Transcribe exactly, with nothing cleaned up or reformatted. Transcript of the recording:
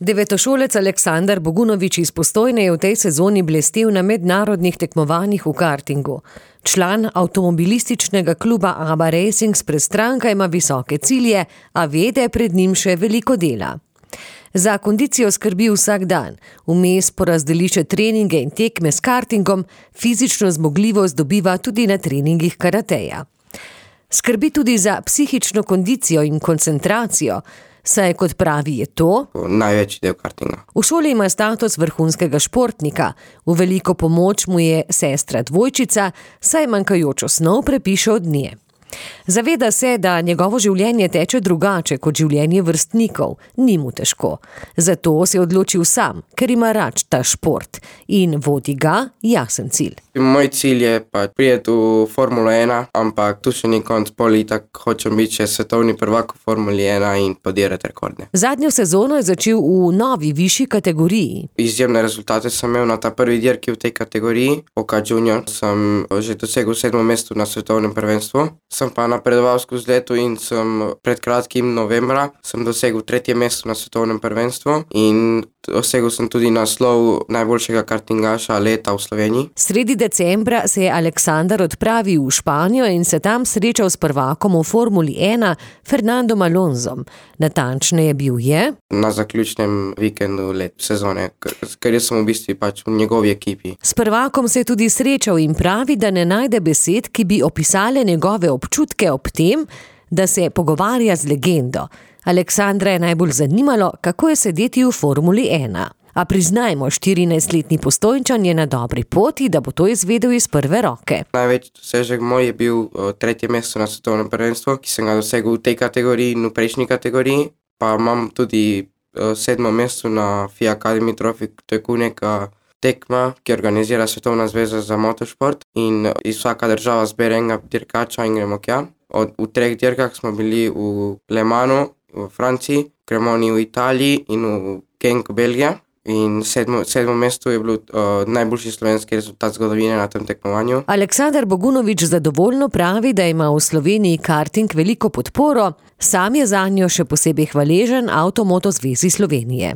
Devetošolec Aleksander Bogunović iz Postojne je v tej sezoni blestel na mednarodnih tekmovanjih v kartingu. Član avtomobilističnega kluba ABBA Racing s Prestranka ima visoke cilje, a ve, da je pred njim še veliko dela. Za kondicijo skrbi vsak dan, vmes porazdeli še treninge in tekme s kartingom, fizično zmogljivost dobiva tudi na treningih karateja. Skrbi tudi za psihično kondicijo in koncentracijo, saj, kot pravi, je to največji del kartinga. V šoli ima status vrhunskega športnika. V veliko pomoč mu je sestra dvojčica, saj manjkajočo snov prepiše od nje. Zaveda se, da njegovo življenje teče drugače kot življenje vrstnikov. Ni mu težko. Zato se je odločil sam, ker ima rad ta šport in vodi ga jasen cilj. Moj cilj je pa priti v Formulo ena, ampak tu še ni konc, pol itak hočem biti še svetovni prvak v Formuli ena in podirati rekorde. Zadnjo sezono je začel v novi višji kategoriji. Izjemne rezultate sem imel na ta prvi dirki v tej kategoriji. Oka junior sem že dosegel sedmo mesto na svetovnem prvenstvu. Sem pa napredoval skozi leto in sem pred kratkim novembra sem dosegel tretje mesto na svetovnem prvenstvu in dosegel sem tudi naslov najboljšega kartingaša leta v Sloveniji. Sredi decembra se je Aleksander odpravil v Španijo in se tam srečal s prvakom v Formuli ena Fernandom Alonsom. Natančneje bil je na zaključnem vikendu let sezone, ker sem v bistvu pač v njegovi ekipi. S prvakom se je tudi srečal in pravi, da ne najde besed, ki bi opisale njegove občutke ob tem, da se pogovarja z legendo. Aleksandra je najbolj zanimalo, kako je sedeti v Formuli ena. A priznajmo, štirinajstletni Postojnčan je na dobri poti, da bo to izvedel iz prve roke. Največji dosežek moj je bil tretje mesto na svetovnem prvenstvu, ki sem ga dosegel v tej kategoriji in v prejšnji kategoriji. Pa imam tudi sedmo mesto na F I A Academy Trophy, to je neka tekma, ki organizira Svetovna zveza za motošport in iz vsaka država zbere enega dirkača in gremo tja. Od, v treh dirkah smo bili v Le Mansu v Franciji, Cremoni v Italiji in v Genk Belgija. In sedmo, sedmo mesto je bilo uh, najboljši slovenski rezultat zgodovine na tem tekmovanju. Aleksander Bogunović zadovoljno pravi, da ima v Sloveniji karting veliko podporo, sam je zanjo še posebej hvaležen Avtomoto zvezi Slovenije.